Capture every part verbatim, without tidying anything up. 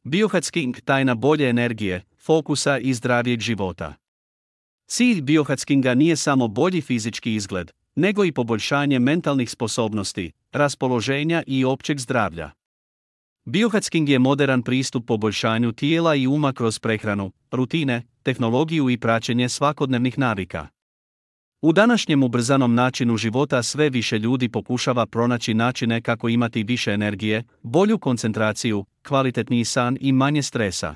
Biohacking, tajna bolje energije, fokusa i zdravijeg života. Cilj biohackinga nije samo bolji fizički izgled, nego i poboljšanje mentalnih sposobnosti, raspoloženja i općeg zdravlja. Biohacking je moderan pristup poboljšanju tijela i uma kroz prehranu, rutine, tehnologiju i praćenje svakodnevnih navika. U današnjem ubrzanom načinu života sve više ljudi pokušava pronaći načine kako imati više energije, bolju koncentraciju, kvalitetniji san i manje stresa.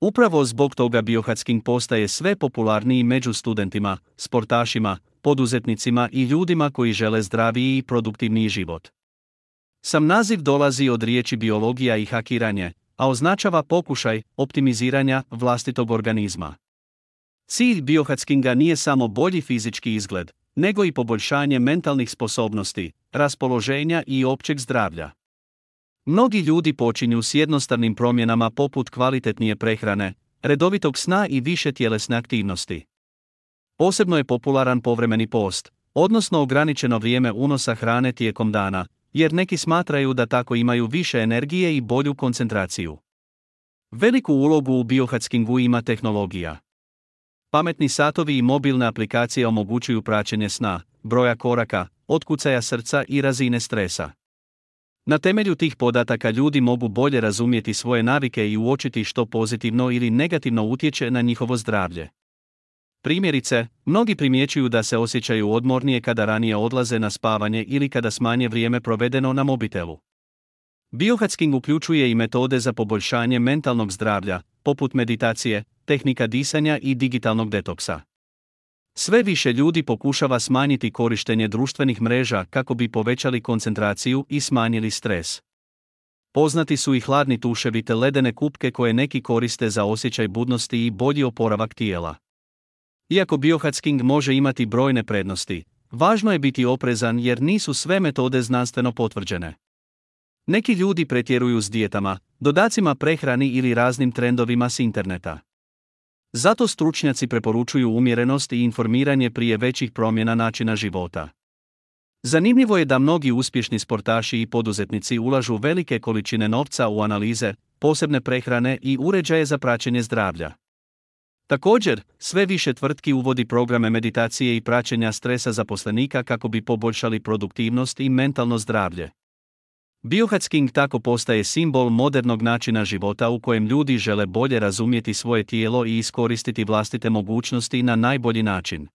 Upravo zbog toga biohacking postaje sve popularniji među studentima, sportašima, poduzetnicima i ljudima koji žele zdraviji i produktivniji život. Sam naziv dolazi od riječi biologija i hakiranje, a označava pokušaj optimiziranja vlastitog organizma. Cilj biohackinga nije samo bolji fizički izgled, nego i poboljšanje mentalnih sposobnosti, raspoloženja i općeg zdravlja. Mnogi ljudi počinju s jednostavnim promjenama poput kvalitetnije prehrane, redovitog sna i više tjelesne aktivnosti. Posebno je popularan povremeni post, odnosno ograničeno vrijeme unosa hrane tijekom dana, jer neki smatraju da tako imaju više energije i bolju koncentraciju. Veliku ulogu u biohackingu ima tehnologija. Pametni satovi i mobilne aplikacije omogućuju praćenje sna, broja koraka, otkucaja srca i razine stresa. Na temelju tih podataka ljudi mogu bolje razumjeti svoje navike i uočiti što pozitivno ili negativno utječe na njihovo zdravlje. Primjerice, mnogi primjećuju da se osjećaju odmornije kada ranije odlaze na spavanje ili kada smanje vrijeme provedeno na mobitelu. Biohacking uključuje i metode za poboljšanje mentalnog zdravlja, poput meditacije, tehnika disanja i digitalnog detoksa. Sve više ljudi pokušava smanjiti korištenje društvenih mreža kako bi povećali koncentraciju i smanjili stres. Poznati su i hladni tuševi te ledene kupke koje neki koriste za osjećaj budnosti i bolji oporavak tijela. Iako biohacking može imati brojne prednosti, važno je biti oprezan jer nisu sve metode znanstveno potvrđene. Neki ljudi pretjeruju s dijetama, dodacima prehrani ili raznim trendovima s interneta. Zato stručnjaci preporučuju umjerenost i informiranje prije većih promjena načina života. Zanimljivo je da mnogi uspješni sportaši i poduzetnici ulažu velike količine novca u analize, posebne prehrane i uređaje za praćenje zdravlja. Također, sve više tvrtki uvodi programe meditacije i praćenja stresa zaposlenika kako bi poboljšali produktivnost i mentalno zdravlje. Biohacking tako postaje simbol modernog načina života u kojem ljudi žele bolje razumjeti svoje tijelo i iskoristiti vlastite mogućnosti na najbolji način.